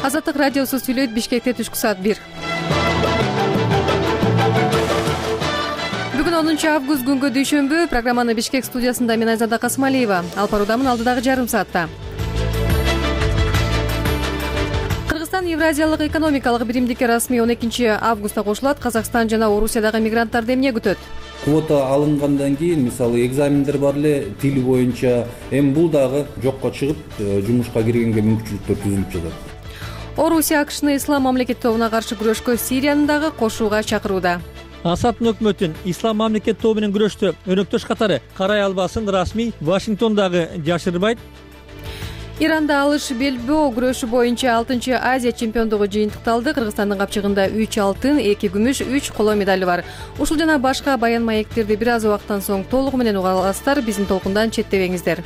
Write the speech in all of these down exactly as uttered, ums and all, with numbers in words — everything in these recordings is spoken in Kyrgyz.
Азаттык радиосу сүйлөйт. Бишкекте түшкү саат бир. Бүгүн онунчу август күнгө дүйшөмбү. Программаны Бишкек студиясында мен Айзада Касымалиева алып баруудамын. Алдыдагы жарым саатта Кыргызстан Евразиялык экономикалык биримдикке расмий он экинчи августта кошулат. Казакстан жана Орусиядагы мигранттарды эмне күтөт? Квота алынгандан кийин, мисалы, экзамендер бар эле тил боюнча, эми бул дагы жокко чыгып, жумушка киргенге мүмкүнчүлүктөр түзүлүп жатат. Орусия АКШны ислам мамлекет тобуна каршы күрөшкө Сириянын дагы кошууга чакырууда. Асаддын өкмөтүн ислам мамлекет тобу менен күрөштө өнөктөш катары карай албасын расмий Вашингтон дагы жашырбайт. Иранда алыш белбөө күрөшү боюнча алтынчы Азия чемпиондугу жыйынтыкталды. Кыргызстандын капчыгында үч алтын, эки күмүш, үч коло медали бар. Ушул жана башка баян маектерди бир аз убакыттан соң толугу менен уга аласыздар. Биздин толкундан четтебеңиздер.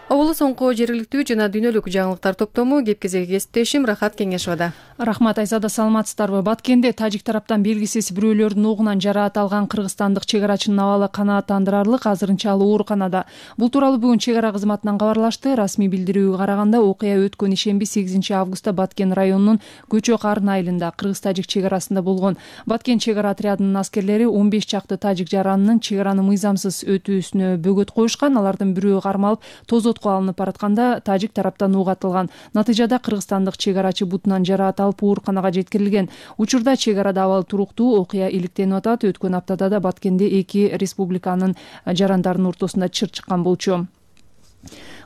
Оболу соңку жергиликтүү жана дүйнөлүк жаңылыктар топтому кеп-кезеги кесиптешим Рахат Кеңешовада. Рахмат, Айзада, саламатсыздарбы? Баткенде тажик тараптан белгисиз бирөөлөрдүн огунан жараат алган кыргызстандык чек арачынын абалы канааттандырарлык, азырынча ал ооруканада. Бул тууралуу бүгүн чек ара кызматынан кабарлашты. Расмий билдирүүгө караганда, окуя өткөн ишемби сегизинчи августта Баткен районунун Көчө Карын айылында кыргыз-тажик чек арасында болгон. Баткен чек ара отрядынын аскерлери он беш чакты тажик жаранынын чек араны мыйзамсыз өтүүсүнө бөгөт коюшкан. Алардын бирөө кармалып тозотко алынып баратканда тажик тараптан уг атылган. Натыйжада кыргызстандык чек арачы бутунан жараат алып ооруканага жеткирилген. Учурда чек арада абал туруктуу, окуя иликтенип атат. Өткөн аптада да Баткенде эки республиканын жарандарынын ортосунда чыр чыккан болчу.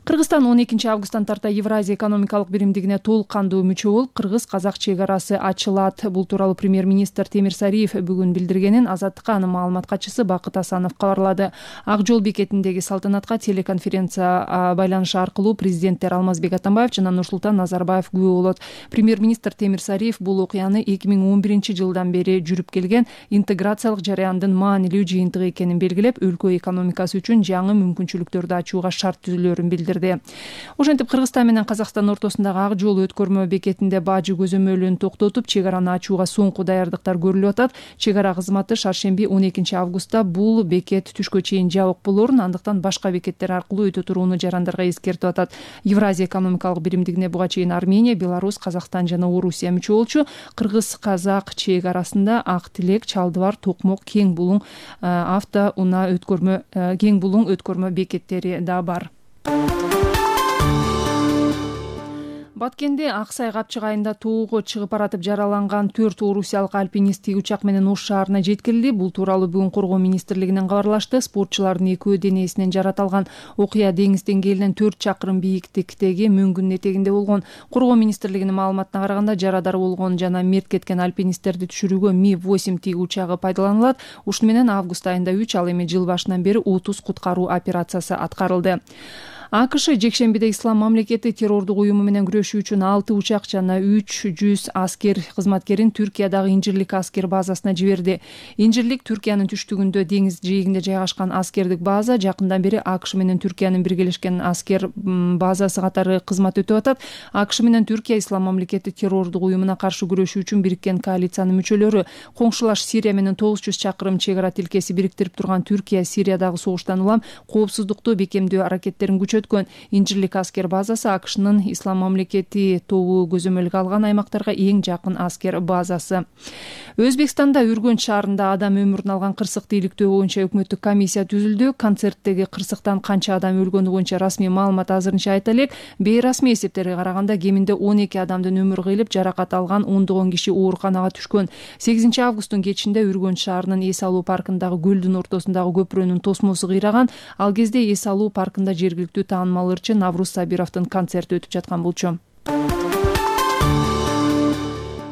Кыргызстан он экинчи августтан тарта Евразия экономикалык биримдигине толук кандуу мүчө болуп, кыргыз-казак чек арасы ачылат. Бул тууралуу премьер-министр Темир Сариев бүгүн билдиргенин Азаттыкка анын маалымат катчысы Бакыт Асанов кабарлады. Ак жол бекетиндеги салтанатка телеконференция байланышы аркылуу президенттер Алмазбек Атамбаев жана Нурсултан Назарбаев күбө болот. Премьер-министр Темир Сариев бул окуяны эки миң он биринчи жылдан бери жүрүп келген интеграциялык жараяндын маанилүү жыйынтыгы экенин белгилеп, өлкө экономикасы үчүн жаңы мүмкүнчүлүктөрдү ачууга шарт түзүлөрүн билдирди. Ошентип, Кыргызстан менен Казакстан ортосундагы ак жол өткөрмө бекетинде бажы көзөмөлүн токтотуп, чек араны ачууга соңку даярдыктар көрүлүп атат. Чек ара кызматы шаршемби он экинчи августта бул бекет түшкө чейин жабык болорун, андыктан башка бекеттер аркылуу өтө турууну жарандарга эскертип атат. Евразия экономикалык биримдигине буга чейин Армения, Беларусь, Казакстан жана Орусия мүчө болчу. Кыргыз-казак чек арасында Ак Тилек, Чалдыбар, Токмок, Кең Булуң авто унаа өткөрмө Кең Булуң өткөрмө бекеттери да бар. Баткенде Аксай капчык айында тоого чыгып баратып жараланган төрт орусиялык альпинист тиги учак менен Ош шаарына жеткирилди. Бул тууралуу бүгүн Коргоо министрлигинен кабарлашты. Спортчулардын экөө денесинен жарат алган. Окуя деңиз деңгээлинен төрт чакырым бийиктиктеги мөңгүнүн этегинде болгон. Коргоо министрлигинин маалыматына караганда, жарадар болгон жана мерт кеткен альпинисттерди түшүрүүгө Ми восемь тиги учагы пайдаланылат. Ушуну менен август айында үч, ал эми жыл башынан бери отуз куткаруу операциясы аткарылды. АКШ жекшембиде ислам мамлекети террордук уюму менен күрөшүү үчүн алты учак жана үч жүз аскер кызматкерин Түркиядагы Инжирлик аскер базасына жиберди. Инжирлик Түркиянын түштүгүндө деңиз жээгинде жайгашкан аскердик база. Жакындан бери АКШ менен Түркиянын биргелешкен аскер базасы катары кызмат өтүп атат. АКШ менен Түркия ислам мамлекети террордук уюмуна каршы күрөшүү үчүн бириккен коалициянын мүчөлөрү. Коңшулаш Сирия менен тогуз жүз чакырым чек ара тилкеси бириктирип турган Түркия Сириядагы согуштан улам коопсуздукту бекемдөө аракеттерин күчөткөн. Инжирлик аскер базасы АКШнын ислам мамлекети тобу көзөмөлгө алган аймактарга эң жакын аскер базасы. Өзбекстанда Үргөнч шаарында адам өмүрүн алган кырсыкты иликтөө боюнча өкмөттүк комиссия түзүлдү. Концерттеги кырсыктан канча адам өлгөнү боюнча расмий маалымат азырынча айта элек. Бейрасмий эсептерге караганда кеминде он эки адамдын өмүрү кыйылып, жаракат алган ондогон киши ооруканага түшкөн. сегизинчи августтун кечинде Үргөнч шаарынын эс алуу паркындагы көлдүн ортосундагы көпүрөнүн тосмосу кыйраган. Ал кезде эс алуу паркында жергиликтүү таанымал ырчы Навруз Сабировдун концерти өтүп жаткан болчу.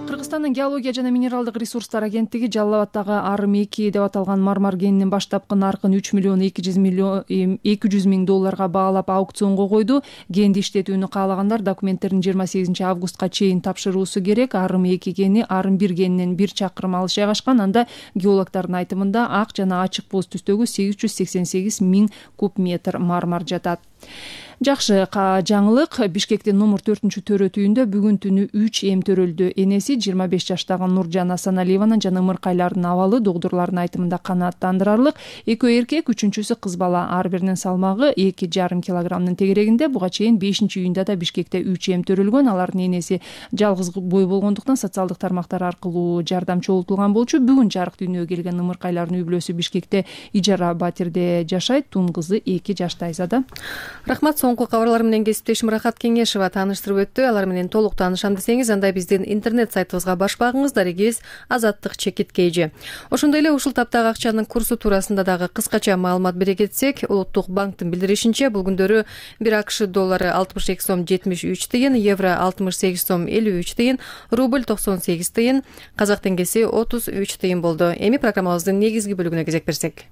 Кыргызстандын геология жана минералдык ресурстар агенттиги Жалал Абаддагы Арым эки деп аталган мармар кенинин баштапкы наркын үч миллион эки жүз миң долларга баалап аукционго койду. Кенди иштетүүнү каалагандар документтерин жыйырма сегизинчи августка чейин тапшыруусу керек. Арым эки кени Арым бир кенинен бир чакырым алыс жайгашкан. Анда геологдордун айтымында ак жана ачык боз түстөгү сегиз жүз сексен сегиз миң куб метр мармар жатат. Жакшы жаңылык. Бишкектин номер төртүнчү төрөт үйүндө бүгүн түнү үч эм төрөлдү. Энеси жыйырма беш жаштагы Нуржан Асаналиеванын жана ымыркайлардын абалы доктурлардын айтымында канааттандырарлык. Экөө эркек, үчүнчүсү кыз бала. Ар биринин салмагы эки жарым килограммдын тегерегинде. Буга чейин бешинчи июнда да Бишкекте үч эм төрөлгөн. Алардын энеси жалгыз бой болгондуктан социалдык тармактар аркылуу жардам чогултулган болчу. Бүгүн жарык дүйнөгө келген ымыркайлардын үй бүлөсү Бишкекте ижара батирде жашайт. Тун кызы эки жашта Айзада. Рахмат. Соңку кабарлар менен кесиптешим Рахат Кеңешева тааныштырып өттү. Алар менен толук таанышам десеңиз, анда биздин интернет сайтыбызга баш багыңыз. Дарегиз Азаттык чекит кейжи. Ошондой эле ушул таптагы акчанын курсу туурасында дагы кыскача маалымат бере кетсек, Улуттук банктын билдиришинче, бул күндөрү бир АКШ доллары алтымыш эки сом жетимиш үч тыйын, евро алтымыш сегиз сом элүү үч тыйын, рубль токсон сегиз тыйын, казак теңгеси отуз үч тыйын болду. Эми программабыздын негизги бөлүгүнө кезек берсек.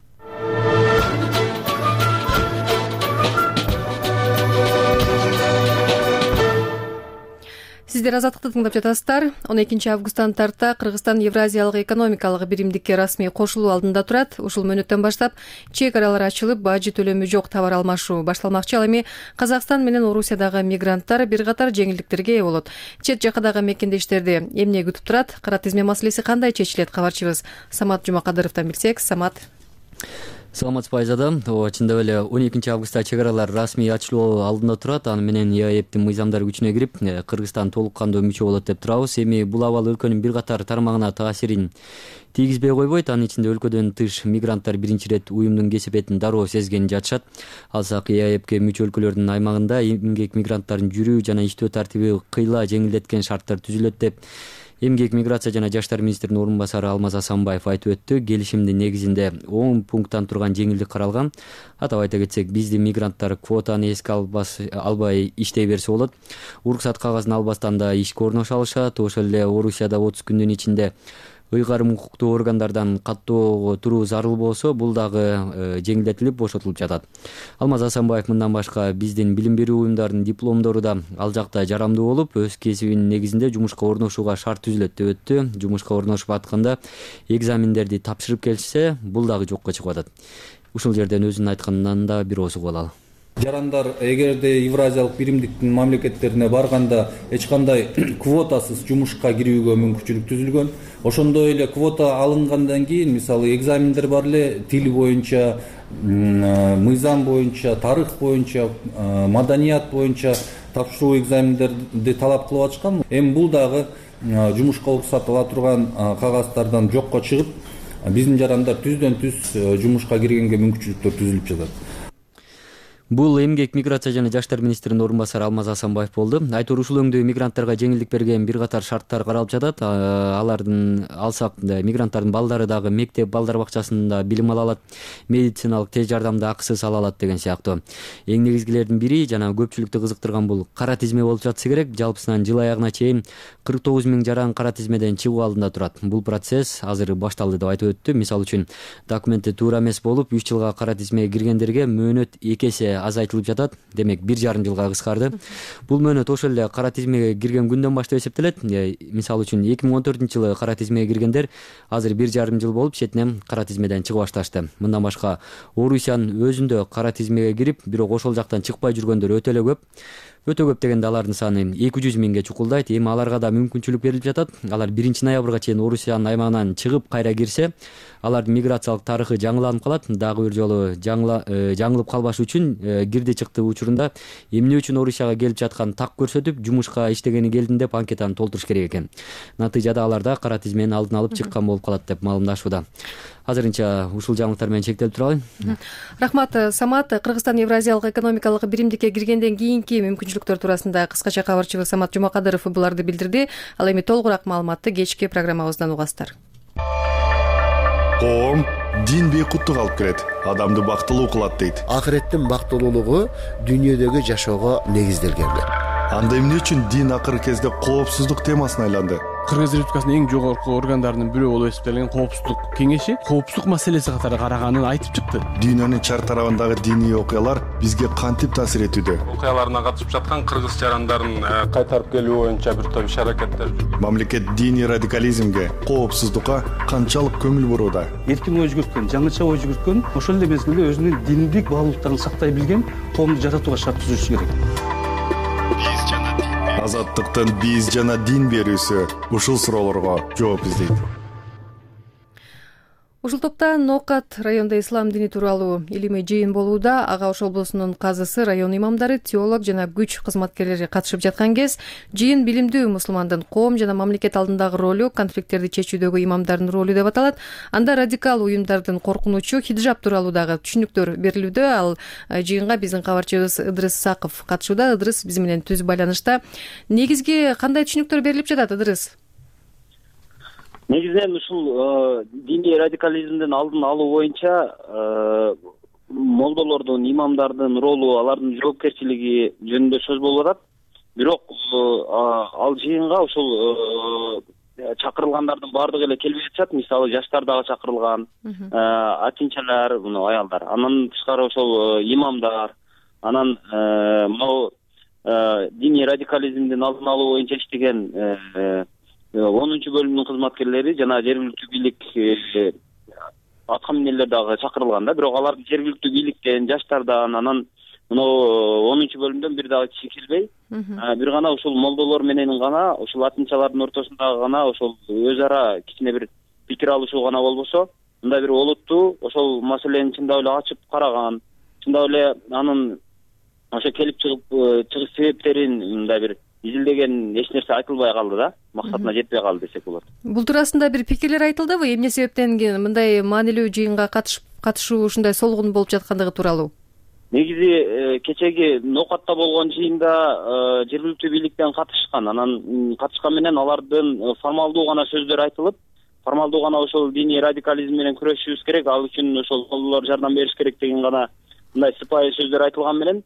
Сиздер Азаттыкты тыңдап жатасыздар. он экинчи августтан тарта Кыргызстан Евразиялык экономикалык биримдикке расмий кошулуу алдында турат. Ушул мөөнөттөн баштап чек аралар ачылып, бажы төлөмү жок товар алмашуу башталмакчы. Ал эми Казакстан менен Орусиядагы мигранттар бир катар жеңилдиктерге ээ болот. Чет жакадагы мекендештерди эмне күтүп турат? Кара тизме маселеси кандай чечилет? Кабарчыбыз Самат Жумакадыровдон билсек. Самат. Саламатсызбы Айзада. Ооба, чындап эле он экинчи августта чек аралар расмий ачылуу алдында турат. Аны менен ЕАЭБтин мыйзамдары күчүнө кирип, Кыргызстан толук кандуу мүчө болот деп турабыз. Эми бул абал өлкөнүн бир катар тармагына таасирин тийгизбей койбойт. Анын ичинде өлкөдөн тыш мигранттар биринчи ирет уюмдун кесепетин дароо сезгени жатышат. Алсак ЕАЭБке мүчө өлкөлөрдүн аймагында эмгек мигранттардын жүрүү жана иштөө тартиби кыйла жеңилдеткен шарттар түзүлөт деп Эмгек миграция жана жаштар министринин орун басары Алмаз Асанбаев айтып өттү. Келишимдин негизинде он пункттан турган жеңилдик каралган. Атап айта кетсек, биздин мигранттар квотаны эске албай иштей берсе болот. Уруксат кагазын албастан да ишке орноша алышат. Ошол эле Орусияда отуз күндүн ичинде ыйгарым укуктуу органдардан каттоого туруу зарыл болсо, бул дагы жеңилдетилип бошотулуп жатат. Алмаз Асанбаев мындан башка биздин билим берүү уюмдарынын дипломдору да ал жакта жарамдуу болуп, өз кесибинин негизинде жумушка орношууга шарт түзүлөт деп өттү. Жумушка орношуп атканда экзамендерди тапшырып келишсе, бул дагы жокко чыгып атат. Ушул жерден өзүнүн айтканынан да бир ооз угуп алалы. Жарандар эгерде Евразиялык биримдиктин мамлекеттерине барганда эч кандай квотасыз жумушка кирүүгө мүмкүнчүлүк түзүлгөн. Ошондой эле квота алынгандан кийин, мисалы, экзамендер бар эле, тил боюнча, мыйзам боюнча, тарых боюнча, маданият боюнча тапшыруу экзамендерди талап кылып атышкан. Эми бул дагы жумушка уруксат ала турган кагаздардан жокко чыгып, биздин жарандар түздөн түз жумушка киргенге мүмкүнчүлүктөр түзүлүп жатат. Бул эмгек миграция жана жаштар министринин орун басары Алмаз Асанбаев болду. Айтор ушул өңдө мигранттарга жеңилдик берген бир катар шарттар каралып жатат. Алардын алсак мигранттардын балдары дагы мектеп балдар бакчасында билим ала алат, медициналык тез жардамды акысыз ала алат деген сыяктуу. Эң негизгилердин бири жана көпчүлүктү кызыктырган бул кара тизме болуп жатса керек. Жалпысынан жыл аягына чейин кырк тогуз миң жаран кара тизмеден чыгуу алдында турат. Бул процесс азыр башталды деп айтып өттү. Мисалы үчүн документи туура эмес болуп, үч жылга кара тизмеге киргендерге мөөнөт эки эсе азайтылып жатат. Демек бир жарым жылга кыскарды. Бул мөөнөт ошол эле кара тизмеге кирген күндөн баштап эсептелет. Мисалы үчүн эки миң он төртүнчү жылы кара тизмеге киргендер азыр бир жарым жыл болуп четинен кара тизмеден чыга башташты. Мындан башка Орусиянын өзүндө кара тизмеге кирип, бирок ошол жактан чыкпай жүргөндөр өтө эле көп. Өтө көп дегенде алардын саны эки жүз миңге чукулдайт. Эми аларга да мүмкүнчүлүк берилип жатат. Алар биринчи ноябрга чейин Орусиянын аймагынан чыгып кайра кирсе, алардын миграциялык тарыхы жаңыланып калат. Дагы бир жолу жаңылып калбаш үчүн кирди чыкты учурунда эмне үчүн Орусияга келип жаткан так көрсөтүп, жумушка иштегени келдим деп анкетаны толтуруш керек экен. Натыйжада аларда кара тизменин алдын алып чыккан болуп калат деп маалымдашууда. Азырынча ушул жаңылыктар менен чектелип туралы. Рахмат. Самат, Кыргызстан Евразиялык экономикалык биримдикке киргенден кийинки мүмкүнчүлүктөр туурасында кыскача кабарчыбыз Самат Жумакадыров буларды билдирди. Ал эми толугураак маалыматты кечки программабыздан угасыздар. Коом дин бейкуттук алып келет, адамды бактылуу кылат дейт. Акыреттин бактылуулугу дүйнөдөгү жашоого негизделген. Анда эмне үчүн дин акыркы кезде коопсуздук темасына айланды? Кыргыз Республикасынын эң жогорку органдарынын бирөө болуп эсептелген Коопсуздук кеңеши коопсуздук маселеси катары караганын айтып чыкты. Дүйнөнүн чар тарабындагы диний окуялар бизге кантип таасир этүүдө? Окуяларына катышып жаткан кыргыз жарандарын кайтарып келүү боюнча бир топ иш-аракеттер. Мамлекет диний радикализмге, коопсуздукка канчалык көңүл бурууда? Эркин ой жүгүрткөн, жаңыча ой жүгүрткөн, ошол эле мезгилде өзүнүн диндик баалуулуктарын сактай билген коомду жаратууга шарт түзүш керек. Азаттыктын биз жана дин берүүсү ушул суроолорго жооп издейт. Ушул топта Нокат районда ислам дини тууралуу илимий жыйын болууда. Ага Ош облусунун казысы, район имамдары, теолог жана күч кызматкерлери катышып жаткан кез жыйын билимдүү мусулмандын коом жана мамлекет алдындагы ролу, конфликттерди чечүүдөгү имамдардын ролу деп аталат. Анда радикал уюмдардын коркунучу хиджаб тууралуу дагы түшүнүктөр берилүүдө. Ал жыйынга биздин кабарчыбыз Ыдырыс Ысаков катышууда. Ыдырыс биз менен түз байланышта. Негизги кандай түшүнүктөр берилип жатат, Ыдырыс? Негизинен ушул диний радикализмдин алдын алуу боюнча молдолордун, имамдардын ролу, алардын жоопкерчилиги жөнүндө сөз болуп атат. Бирок ал жыйынга ушул чакырылгандардын баардыгы эле келбей жатышат. Мисалы жаштар дагы чакырылган, атинчалар, мына аялдар. Андан тышкары ошол имамдар, анан могу диний радикализмдин алдын алуу боюнча иштеген онунчу бөлүмдүн кызматкерлери жана жергиликтүү бийлик атка минелер дагы чакырылган да. Бирок алардын жергиликтүү бийликтен, жаштардан, анан мынау онунчу бөлүмдөн бир дагы киши келбей, бир гана ушул молдолор менен гана, ушул атынчалардын ортосундагы гана ошол өз ара кичине бир пикир алышуу гана болбосо, мындай бир олуттуу ошол маселени чындап эле ачып караган, чындап эле анын ошо келип чыгып чыгыш себептерин мындай бир изилдеген эч нерсе айтылбай калды да, максатына жетпей калды десек болот. Бул туурасында бир пикирлер айтылдыбы? Эмне себептен мындай маанилүү жыйынга катышып катышуу ушундай солгун болуп жаткандыгы тууралуу? Негизи кечеги Нокатта болгон жыйында жергиликтүү бийликтен катышкан, анан катышкан менен алардын формалдуу гана сөздөр айтылып, формалдуу гана ошол диний радикализм менен күрөшүшүбүз керек, ал үчүн ошол колдор жардам бериш керек деген гана мындай сыпайы сөздөр айтылган менен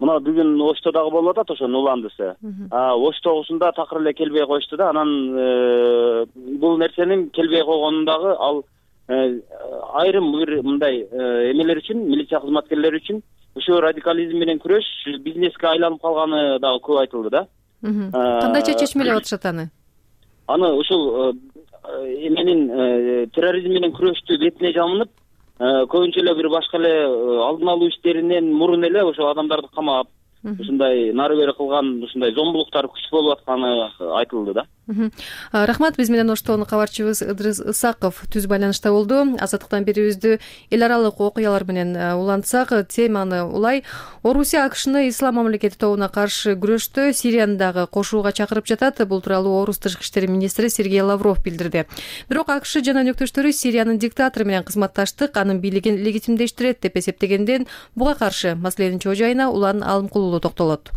мына бүгүн Ошто дагы болуп атат ошонун уландысы. Ош тогусунда такыр эле келбей коюшту да. Анан бул нерсенин келбей койгонун дагы ал айрым бир мындай эмелер үчүн, милиция кызматкерлери үчүн ушул радикализм менен күрөш бизнеске айланып калганы дагы көп айтылды да. Кандайча чечмелеп атышат аны? Аны ушул эменин терроризм менен күрөштү бетине жамынып, көбүнчө эле бир башка эле алдын алуу иштеринен мурун эле ошо адамдарды камап, ушундай нары бери кылган ушундай зомбулуктар күч болуп атканы айтылды да. Рахмат, биз менен Оштон кабарчыбыз Ыдырыс Ысаков түз байланышта болду. Азаттыктан берүүбүздү эл аралык окуялар менен улантсак, теманы улай: Орусия АКШны ислам мамлекети тобуна каршы күрөштө Сириянын дагы кошууга чакырып жатат. Бул тууралуу Орус тышкы иштер министри Сергей Лавров билдирди. Бирок АКШ жана өнөктөштөрү Сириянын диктатору менен кызматташтык, анын бийлигин легитимдештирет деп эсептегенден буга каршы маселенин чоо жайына Улан Алымкулуу токтолот.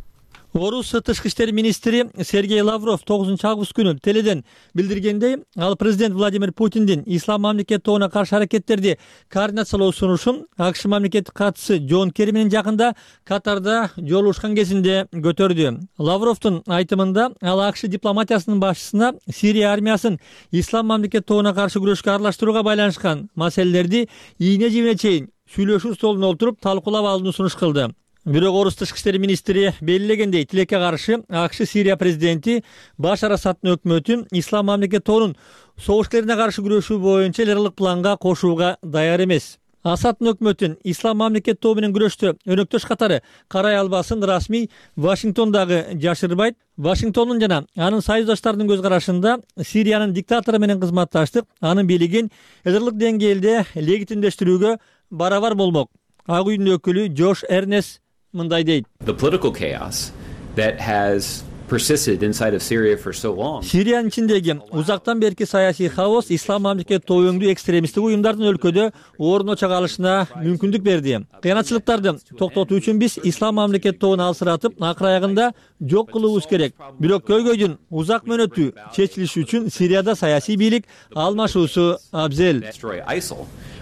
Орус тышкы иштер министри Сергей Лавров тогузунчу август күнү теледен билдиргендей, ал президент Владимир Путиндин ислам мамлекети тобуна каршы аракеттерди координациялоо сунушун АКШ мамлекеттик катчысы Джон Керри менен жакында Катарда жолугушкан кезинде көтөрдү. Лавровдун айтымында ал АКШ дипломатиясынын башчысына Сирия армиясын ислам мамлекети тобуна каршы күрөшкө аралаштырууга байланышкан маселелерди ийне жибине чейин сүйлөшүү столуна отуруп талкуулап алууну сунуш кылды. Бирок Орус тышкы иштер министри белгилегендей, тилекке каршы АКШ Сирия президенти Башар Асаддын өкмөтүн ислам мамлекети тобунун согуш-керине каршы күрөшүү боюнча эл аралык планга кошууга даяр эмес. Асаддын өкмөтүн ислам мамлекети тобу менен күрөштө өнөктөш катары карай албасын расмий Вашингтондагы жашырбайт. Вашингтондун жана анын союздаштарынын көз карашында Сириянын диктатору менен кызматташтык анын бийлигин эл аралык деңгээлде легитимдештирүүгө барабар болмок. Ак үйдүн өкүлү Джош Эрнес мындай дейт: Сириянын ичиндеги узактан берки саясий хаос ислам мамлекети тобу өңдүү экстремисттик уюмдардын өлкөдө орун очого алышына мүмкүндүк берди. Кыянатчылыктарды токтотуу үчүн биз ислам мамлекети тобун алсыратып, акыр аягында жок кылуубуз керек. Бирок көйгөйдүн узак мөөнөтү чечилиши үчүн Сирияда саясий бийлик алмашуусу абзел.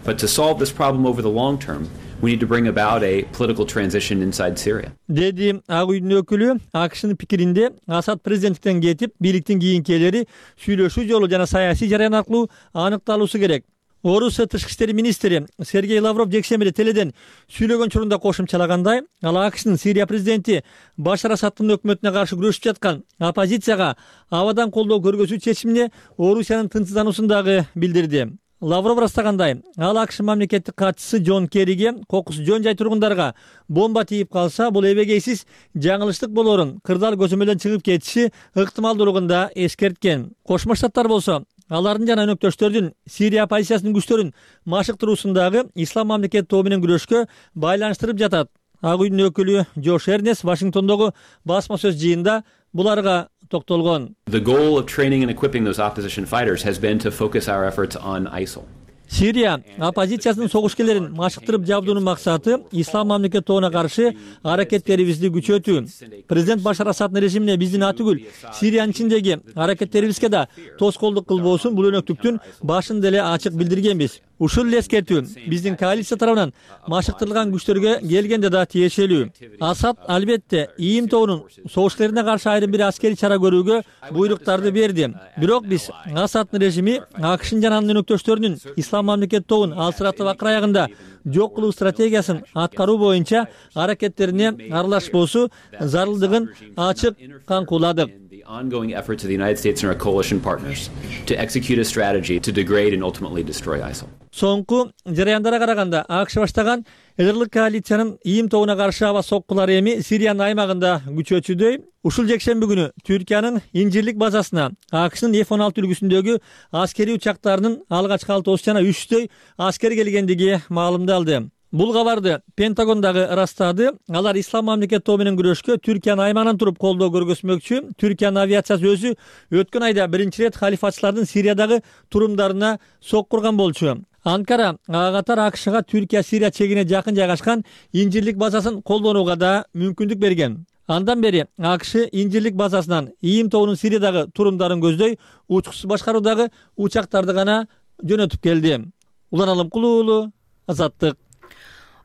But to solve this problem over the long term, We need to bring about a political transition inside Syria. Деди Ак үйдүн өкүлү. АКШнын пикиринде Асад президенттиктен кетип, бийликтин кийинкилери сүйлөшүү жолу жана саясий жараян аркылуу аныкталуусу керек. Орусия тышкы иштер министри Сергей Лавров жекшембиде теледен сүйлөгөн учурунда кошумчалагандай, ал АКШнын Сирия президенти Башар Асаддын өкмөтүнө каршы күрөшүп жаткан оппозицияга абадан колдоо көргөзүү чечимине Орусиянын тынчсыздануусун дагы билдирди. Лавров ырастагандай, ал АКШ мамлекеттик катчысы Джон Керриге кокус жөн жай тургундарга бомба тийип калса, бул эбегейсиз жаңылыштык болорун, кырдаал көзөмөлдөн чыгып кетиши ыктымалдуулугун да эскерткен. Кошмо Штаттар болсо, алардын жана өнөктөштөрдүн Сирия оппозициясынын күчтөрүн машыктыруусундагы ислам мамлекети тобу менен күрөшкө байланыштырып жатат. Ак үйдүн өкүлү Джош Эрнес Вашингтондогу басма сөз жыйында буларга токтолгон. The goal of training and equipping those opposition fighters has been to focus our efforts on ISIL. Сирия оппозициясынын согушкерлерин машыктырып жабдуунун максаты ислам мамлекети тобуна каршы аракеттерибизди күчөтүү. Президент Башар Асаддын режимине биздин атүгүл Сириянын ичиндеги аракеттерибизге да тоскоолдук кылбоосун бул өнөктүктүн башын деле ачык билдиргенбиз. Ушул эле эскертүү биздин коалиция тарабынан машыктырылган күчтөргө келгенде да тиешелүү. Асад албетте ИИМ тобунун согушкерлерине каршы айрым бир аскерий чара көрүүгө буйруктарды берди. Бирок биз Асаддын режими АКШнын жана анын өнөктөштөрүнүн ислам мамлекети тобун алсыратып акыр аягында жок кылуу стратегиясын аткаруу боюнча аракеттерине аралашпоосу зарылдыгын ачык каңкууладык. Ongoing efforts of the United States and our coalition partners to execute a strategy to degrade and ultimately destroy ISIL. Соңку жараяндарга караганда АКШ баштаган элдик коалициянын ИИМ тобуна каршы аба соккулары эми Сириянын аймагында күчөчүдөй. Ушул жекшемби күнү Түркиянын Инжирлик базасына АКШнын эф он алты үлгүсүндөгү аскерий учактарынын алгачкы алтоосу жана үчтөй аскер келгендиги маалымдалды. Бул кабарды Пентагон дагы ырастады. Алар ислам мамлекети тобу менен күрөшкө Түркиянын аймагынан туруп колдоо көргөзмөкчү. Түркиянын авиациясы өзү өткөн айда биринчи ирет халифатчылардын Сириядагы турумдарына соккурган болчу. Анкара ага катар АКШга Түркия-Сирия чегине жакын жайгашкан Инжирлик базасын колдонууга да мүмкүндүк берген. Андан бери АКШ Инжирлик базасынан ИИМ тобунун Сириядагы турумдарын көздөй учкусуз башкаруудагы учактарды гана жөнөтүп келди. Улан Алымкулуу уулу, Азаттык.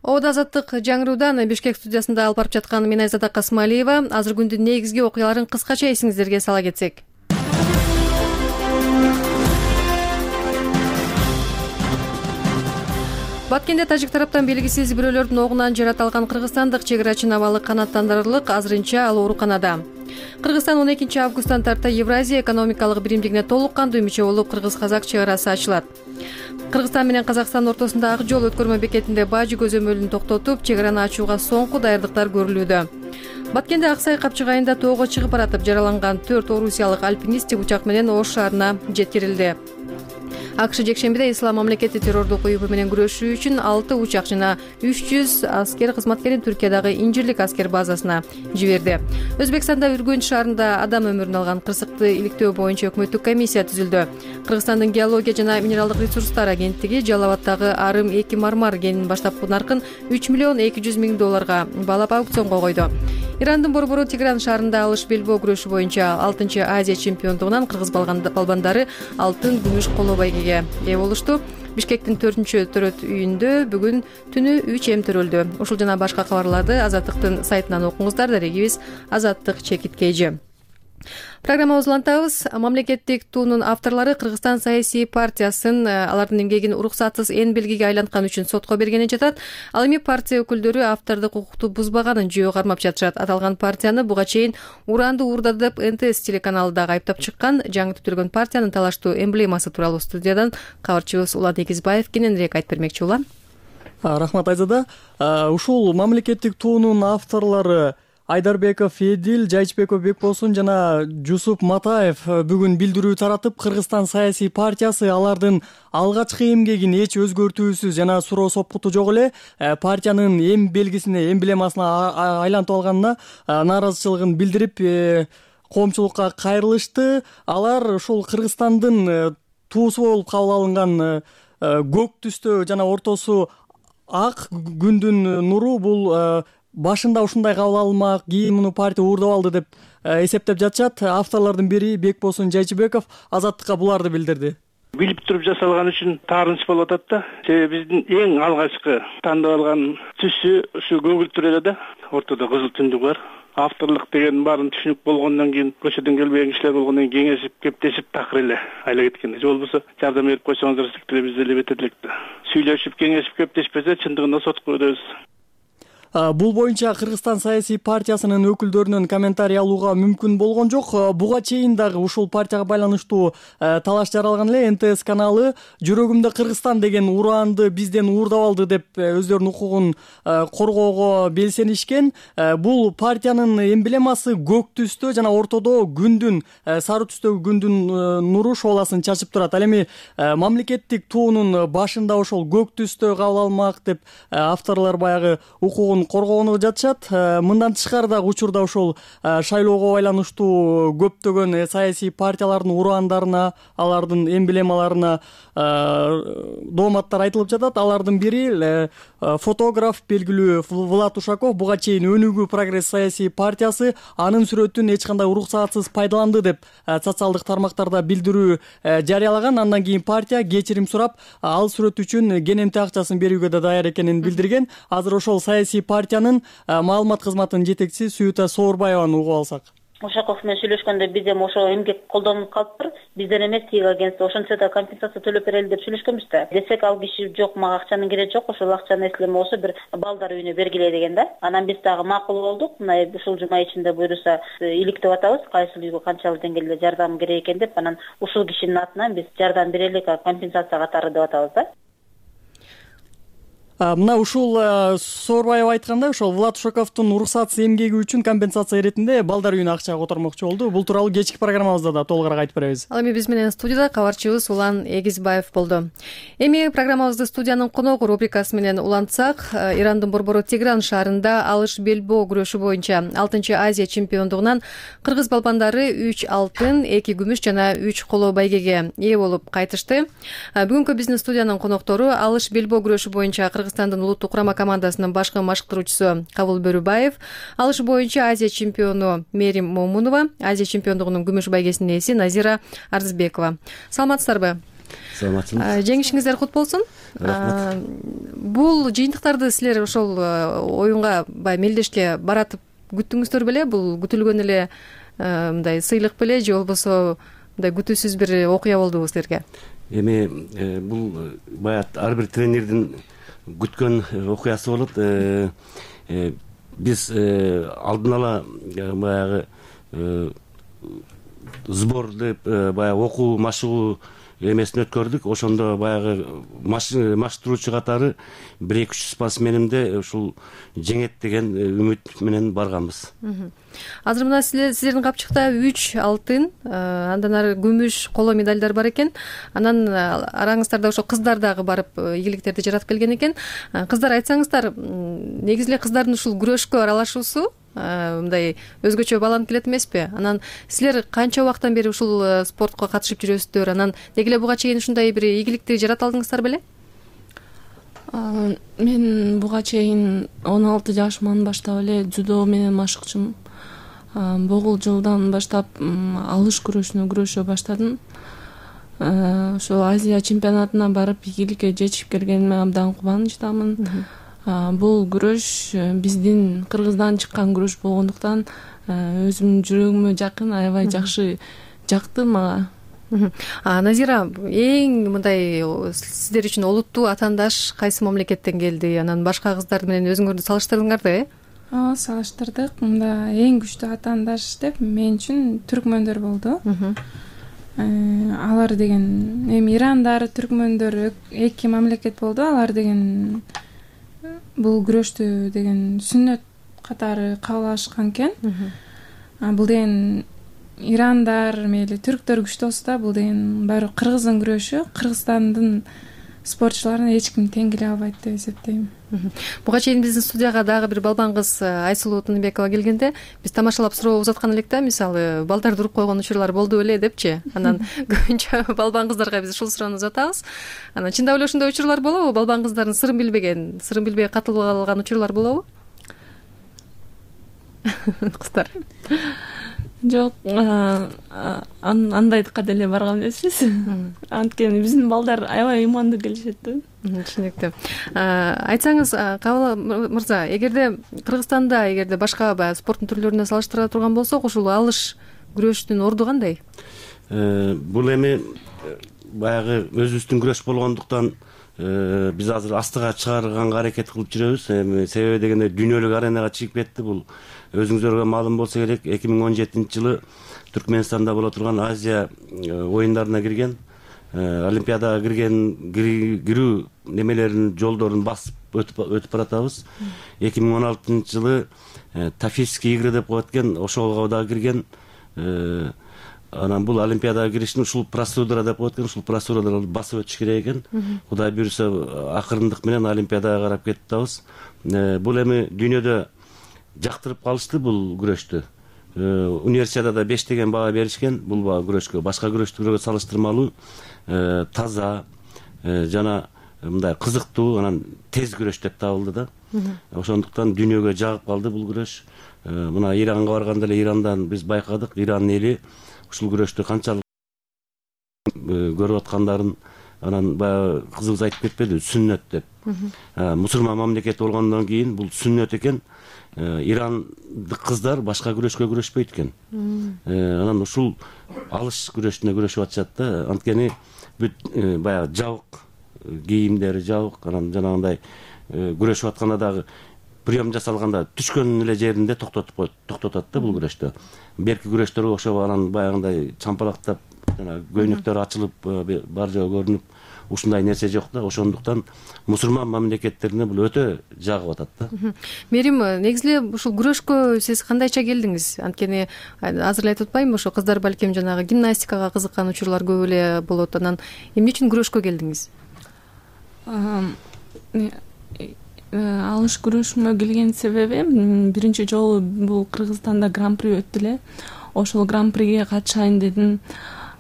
Ода азаттык жаңыруудан Бишкек студиясында алып барып жаткан мен Айзада Касмалиева. Азыр күндүн негизги окуяларын кыскача эсиңиздерге сала кетсек. Баткенде тажик тараптан белгисиз бирөөлөрдүн огунан жаратылган кыргызстандык чек арачы абалы канааттандырырлык, азырынча ал ооруканада. Кыргызстан он экинчи августтан тарта Евразия экономикалык биримдигине толук кандуу мүчө болуп кыргыз-казак чек арасы ачылат. Кыргызстан менен Казакстан ортосунда ак жол өткөрмө бекетинде бажы көзөмөлүн токтотуп, чек араны ачууга соңку даярдыктар көрүлүүдө. Баткенде Аксай капчык айында тоого чыгып баратып жараланган төрт орусиялык альпинист учак менен Ош шаарына жеткирилди. АКШ жекшембиде ислам мамлекети террордук уюму менен күрөшүү үчүн алты учак жана үч жүз аскер кызматкерин Түркиядагы Инжирлик аскер базасына жиберди. Өзбекстанда Үргөнч шаарында адам өмүрүн алган кырсыкты иликтөө боюнча өкмөттүк комиссия түзүлдү. Кыргызстандын геология жана минералдык ресурстар агенттиги Жалал Абаддагы Арым эки мармар кенинин баштапкы наркын үч миллион эки жүз миң долларга баалап аукционго койду. Ирандын борбору Тигран шаарында алыш белбөө күрөшү боюнча алтынчы Азия чемпиондугунан кыргыз балбандары алтын, күмүш, коло байгеге ээ болушту. Бишкектин төртүнчү төрөт үйүндө бүгүн түнү үч эм төрөлдү. Ушул жана башка кабарларды Азаттыктын сайтынан окуңуздар. Дарегибиз Азаттык Чекиткейжи. Программабызды улантабыз. Мамлекеттик туунун авторлору Кыргызстан саясий партиясын алардын эмгегин уруксатсыз эн белгиге айланткан үчүн сотко бергени жатат. Ал эми партия өкүлдөрү автордук укукту бузбаганын жөө кармап жатышат. Аталган партияны буга чейин уранды уурдады деп эн тэ эс телеканалы дагы айыптап чыккан. Жаңы түзүлгөн партиянын талаштуу эмблемасы тууралуу студиядан кабарчыбыз Улан Эгизбаев кененирээк айтып бермекчи. Улан. Рахмат Айзада. Ушул мамлекеттик туунун авторлору Айдарбеков Эдил, Жайчбеков Бекболсун жана Жусуп Матаев бүгүн билдирүү таратып, Кыргызстан саясий партиясы алардын алгачкы эмгегин эч өзгөртүүсүз жана суроо сопкуту жок эле партиянын эм белгисине, эмблемасына айлантып алганына нааразычылыгын билдирип, коомчулукка кайрылышты. Алар ушул Кыргызстандын туусу болуп кабыл алынган көк түстө жана ортосу ак күндүн нуру бул башында ушундай кабыл алынмак, кийин муну партия уурдап алды деп эсептеп жатышат. Авторлордун бири Бекболсун Жайчыбеков Азаттыкка буларды билдирди. билип туруп жасалган үчүн таарынч болуп атат да. Себеби биздин эң алгачкы тандап алган түсү ушу көгүл түр эле да. Ортодо кызыл түндүк бар. Авторлук деген баарын түшүнүк болгондон кийин, көчөдөн келбеген кишилер болгондон кийин кеңешип, кептешип такыр эле айла кеткен. Же болбосо жардам берип койсоңуздар эле биз деле бетер элек да. Сүйлөшүп, кеңешип, кептешпесе чындыгында сотко өтөбүз. Бул боюнча Кыргызстан саясий партиясынын өкүлдөрүнөн комментарий алууга мүмкүн болгон жок. Буга чейин дагы ушул партияга байланыштуу талаш жаралган эле. эн тэ эс каналы жүрөгүмдө Кыргызстан деген ураанды бизден уурдап алды деп өздөрүнүн укугун коргоого белсенишкен. Бул партиянын эмблемасы көк түстө жана ортодо күндүн, сары түстөгү күндүн нуру шооласын чачып турат. Ал эми мамлекеттик туунун башында ошол көк түстө кабыл алмак деп авторлор баягы укугун коргоону жатышат. Мындан тышкары дагы учурда ошол шайлоого байланыштуу көптөгөн саясий партиялардын ураандарына, алардын эмблемаларына дооматтар айтылып жатат. Алардын бири фотограф белгилүү Влад Ушаков буга чейин Өнүгүү прогресс саясий партиясы анын сүрөтүн эч кандай уруксаатсыз пайдаланды деп социалдык тармактарда билдирүү жарыялаган. Андан кийин партия кечирим сурап, ал сүрөт үчүн кенемти акчасын берүүгө да даяр экенин билдирген. Азыр ошол саясий партиянын маалымат кызматынын жетекчиси Сүйүта Соорбаеваны угуп алсак. Ушаков менен сүйлөшкөндө биз эми ошо эмгек колдонуп калыптыр. Бизден эмес, тиги агентство ошончо да компенсация төлөп берели деп сүйлөшкөнбүз да. Десек ал киши жок, мага акчанын кереги жок, ошол акчаны эслеме болсо бир балдар үйүнө бергиле деген да. Анан биз дагы макул болдук. Мына ушул жума ичинде буйруса иликтеп атабыз, кайсыл үйгө канчалык деңгээлде жардам керек экен деп. Анан ушул кишинин атынан биз жардам берелик, компенсация катары деп атабыз да. Мына ушул Соорбаев айткандай, ошол Влад Ушаковдун уруксатсыз эмгеги үчүн компенсация иретинде балдар үйүнө акча котормокчу болду. Бул тууралуу кечки программабызда да толугураак айтып беребиз. Ал эми биз менен студияда кабарчыбыз Улан Эгизбаев болду. Эми программабызды студиянын коногу рубрикасы менен улантсак, Ирандын борбору Тегеран шаарында алыш белбоо күрөшү боюнча алтынчы Азия чемпиондугунан кыргыз балбандары үч алтын, эки күмүш жана үч коло байгеге ээ болуп кайтышты. Бүгүнкү биздин студиянын коноктору алыш белбоо күрөшү боюнча Кыргызстандын улуттук курама командасынын башкы машыктыруучусу Кабыл Бөрүбаев, алыш боюнча Азия чемпиону Мерим Момунова, Азия чемпиондугунун күмүш байгесинин ээси Назира Арзбекова. Саламатсыздарбы? Саламатсызбы. Жеңишиңиздер кут болсун. Рахмат. Бул жыйынтыктарды силер ошол оюнга баягы мелдешке баратып күттүңүздөр беле? Бул күтүлгөн эле мындай сыйлык беле же болбосо мындай күтүүсүз бир окуя болдубу силерге? Эми бул баягы ар бир тренердин күткөн окуясы болот. Биз алдын ала баягы сбор деп баягы окуу машыгуу эмесин өткөрдүк. Ошондо баягы машыктыруучу катары бир эки үч спортсменимде ушул жеңет деген үмүт менен барганбыз. Азыр мына силердин капчыкта үч алтын, андан ары күмүш, коло медалдар бар экен. Анан араңыздарда ошо кыздар дагы барып ийгиликтерди жаратып келген экен. Кыздар, айтсаңыздар, негизи эле кыздардын ушул күрөшкө аралашуусу мындай өзгөчө бааланып келет эмеспи? Анан силер канча убакыттан бери ушул спортко катышып жүрөсүздөр? Анан деги эле буга чейин ушундай бир ийгиликти жарата алдыңыздар беле? Мен буга чейин он алты жашыман баштап эле дзюдо менен машыкчумун. Богул жылдан баштап алыш күрөшүнө күрөшө баштадым. Ошол Азия чемпионатына барып ийгиликке жетишип келгениме абдан кубанычтамын. Бул күрөш биздин Кыргыздан чыккан күрөш болгондуктан өзүмдүн жүрөгүмө жакын, аябай жакшы жакты мага. Назира, эң мындай сиздер үчүн олуттуу атаандаш кайсы мамлекеттен келди? Анан башка кыздар менен өзүңөрдү салыштырдыңарбы, э? Ооба, салыштырдык. Мында эң күчтүү атаандаш деп мен үчүн түркмөндөр болду. Алар деген эми Ирандар, түркмөндөр эки мамлекет болду. Алар деген бул күрөштү деген сүннөт катары кабыл алышкан экен. Бул деген Ирандар, мейли түрктөр күчтүү болсо да, бул деген баары кыргыздын күрөшү, Кыргызстандын спортчуларына эч ким тең келе албайт деп эсептейм. Буга чейин биздин студияга дагы бир балбан кыз Айсулуу Тыныбекова келгенде биз тамашалап суроо узаткан элек да, мисалы балдарды уруп койгон учурлар болду беле депчи. Анан көбүнчө балбан кыздарга биз ушул суроону узатабыз. Анан чындап эле ошондой учурлар болобу? Балбан кыздардын сырын билбеген, сырын билбей катылып алган учурлар болобу? Кыздар. Жок, андайдыкка деле барган эмеспиз. Анткени биздин балдар аябай ыймандуу келишет да. Түшүнүктүү. Айтсаңыз, Кабыл мырза, эгерде Кыргызстанда, эгерде башка баягы спорттун түрлөрүнө салыштыра турган болсок, ушул алыш күрөштүн орду кандай? Бул эми баягы өзүбүздүн күрөш болгондуктан биз азыр астыга чыгарганга аракет кылып жүрөбүз. Эми себеби дегенде дүйнөлүк аренага чыгып кетти. Бул өзүңүздарга маалым болсо керек, эки миң он жетинчи жылы Түркмөнстанда боло турган Азия оюндарына кирген, Олимпиадага кирген кирүү немелеринин жолдорун басып өтүп баратабыз. эки миң он алтынчы жылы Тафийские игры деп коет экен, ошого дагы кирген. Анан бул Олимпиадага киришин ушул процедура деп коет экен, ушул процедураларды басып өтүш керек экен. Кудай буйруса акырындык менен Олимпиадага карап кетип атабыз. Бул эми дүйнөдө жактырып калышты бул күрөштү. Универсиадада беш деген баа беришкен бул баа күрөшкө. Башка күрөштөргө салыштырмалуу таза жана мындай кызыктуу, анан тез күрөш деп табылды да. Ошондуктан дүйнөгө жагып калды бул күрөш. Мына Иранга барганда эле Ирандан биз байкадык, Иран эли ушул күрөштү канчалык көрүп аткандарын, анан баягы кызыбыз айтып кетпеди, сүннөт деп. Мусулман мамлекет болгондон кийин бул сүннөт экен. Ирандык кыздар башка күрөшкө күрөшпөйт экен. Анан ушул алыш күрөшүнө күрөшүп атышат да. Анткени бүт баягы жабык кийимдери жабык, анан жанагындай күрөшүп атканда дагы прием жасалганда түшкөн эле жеринде токтотуп коет, токтотот да бул күрөштө. Берки күрөштөргө окшоп анан баягындай чампалактап жана көйнөктөр ачылып бар жөө көрүнүп ушундай нерсе жок да. Ошондуктан мусулман мамлекеттерине бул өтө жагып атат да. Мерим, негизи эле ушул күрөшкө сиз кандайча келдиңиз? Анткени азыр эле айтып атпаймынбы, ошо кыздар балким жанагы гимнастикага кызыккан учурлар көп эле болот. Анан эмне үчүн күрөшкө келдиңиз? Алыш күрөшүнө келген себебим биринчи жолу бул Кыргызстанда гран-при өттү эле. Ошол гран-приге катышайын дедим.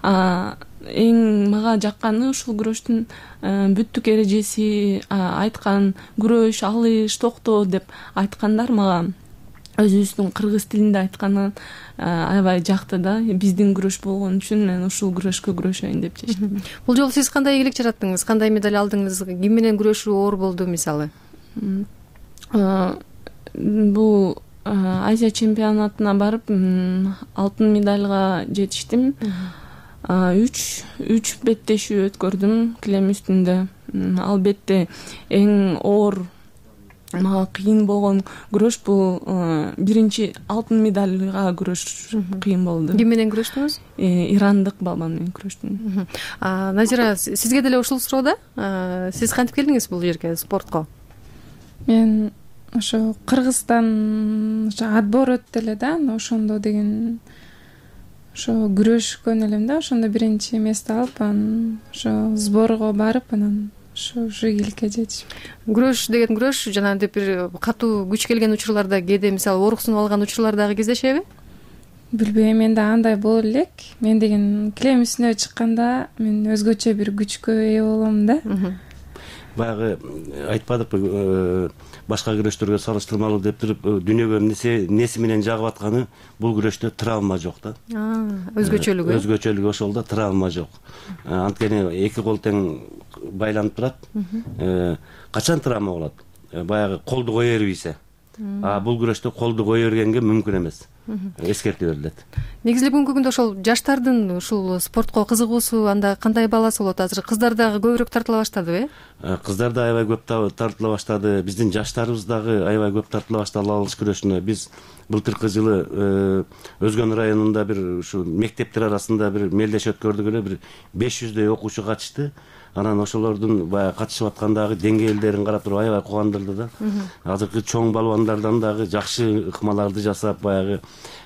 Эң мага жакканы ушул күрөштүн бүттүк эрежеси, айткан күрөш, алыш, токтоо деп айткандар мага өзүбүздүн кыргыз тилинде айтканы аябай жакты да. Биздин күрөш болгон үчүн мен ушул күрөшкө күрөшөйүн деп чечтим. Бул жолу сиз кандай ийгилик жараттыңыз? Кандай медаль алдыңыз? Ким менен күрөшүү оор болду мисалы? Бул Азия чемпионатына барып алтын медальга жетиштим. үч үч беттешүү өткөрдүм килем үстүндө. Албетте эң оор, мага кыйын болгон күрөш бул биринчи алтын медальга күрөш кыйын болду. Ким менен күрөштүңүз? Ирандык балбан менен күрөштүм. Назира, сизге деле ушул суроо да. Сиз кантип келдиңиз бул жерге, спортко? Мен ошо Кыргызстан ошо отбор өттү эле да, ошондо деген ошо күрөшкөн элем да, ошондо биринчи место алып, анан ошо сборго барып, анан ошо ушу ийгиликке жетишим. Күрөш деген күрөш, жанагынтип бир катуу күч келген учурларда, кээде мисалы ооруксунуп алган учурлар дагы кездешеби? Билбейм, мен да андай боло элек. Мен деген килем үстүнө чыкканда мен өзгөчө бир күчкө ээ болом да. Баягы айтпадыкпы, башка күрөштөргө салыштырмалуу деп туруп, дүйнөгө неси менен жагып атканы бул күрөштө травма жок да. Өзгөчөлүгү. Өзгөчөлүгү ошолда, травма жок. Анткени эки кол тең байланып турат. Качан травма болот? Баягы колду кое бербейсе. А бул күрөштө колду кое бергенге мүмкүн эмес. Эскертүү берилет. Негизи эле бүгүнкү күндө ошол жаштардын ушул спортко кызыгуусу анда кандай баласы болот? Азыр кыздар дагы көбүрөөк тартыла баштадыбы, э? Кыздар да аябай көп тартыла баштады. Биздин жаштарыбыз дагы аябай көп тартыла баштады алыш күрөшүнө. Биз былтыркы жылы Өзгөн районунда бир ушу мектептер арасында бир мелдеш өткөрдүк эле, бир беш жүздөй окуучу катышты. Анан ошолордун баягы катышып аткандагы деңгээлдерин карап туруп аябай кубандырды да. Азыркы чоң балбандардан дагы жакшы ыкмаларды жасап, баягы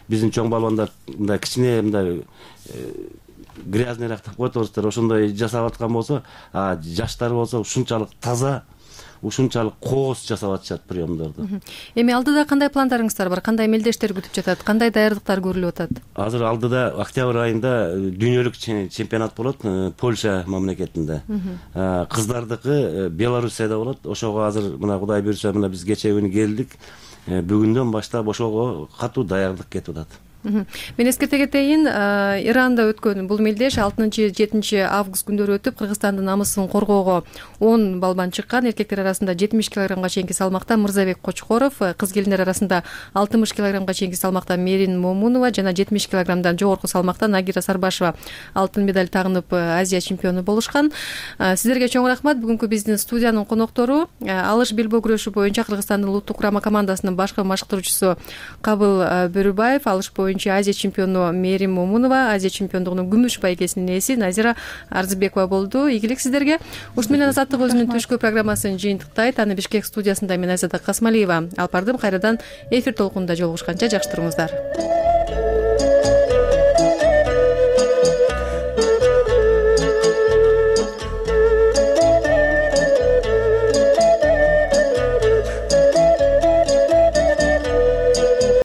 биздин чоң балбандар мындай кичине мындай грязныйраак деп коет орустар, ошондой жасап аткан болсо, а жаштар болсо ушунчалык таза, ушунчалык кооз жасап атышат приемдорду. Эми алдыда кандай пландарыңыздар бар? Кандай мелдештер күтүп жатат? Кандай даярдыктар көрүлүп атат? Азыр алдыда октябрь айында дүйнөлүк чемпионат болот Польша мамлекетинде. Кыздардыкы Белоруссияда болот. Ошого азыр мына Кудай буйруса мына биз кечээ күнү келдик. Бүгүндөн баштап ошого катуу даярдык кетип атат. Мен эскерте кетейин, Иранда өткөн бул мелдеш алтынчы жетинчи август күндөрү өтүп, Кыргызстандын намысын коргоого он балбан чыккан. Эркектер арасында жетимиш килограммга чейинки салмакта Мырзабек Кочкоров, кыз келиндер арасында алтымыш килограммга чейинки салмакта Мерин Момунова жана жетимиш килограммдан жогорку салмакта Нагира Сарбашева алтын медаль тагынып Азия чемпиону болушкан. Сиздерге чоң рахмат. Бүгүнкү биздин студиянын коноктору алыш белбөө күрөшү боюнча Кыргызстандын улуттук курама командасынын башкы машыктыруучусу Кабыл Бөрүбаев, алыш боюнча Азия чемпиону Мерим Момунова, Азия чемпиондугунун күмүш байгесинин ээси Назира Арзыбекова болду. Ийгилик сиздерге. Ушун менен Азаттык өзүнүн түшкү программасын жыйынтыктайт. Аны Бишкек студиясында мен Айзада Касмалиева алып бардым. Кайрадан эфир толкунунда жолугушканча жакшы туруңуздар.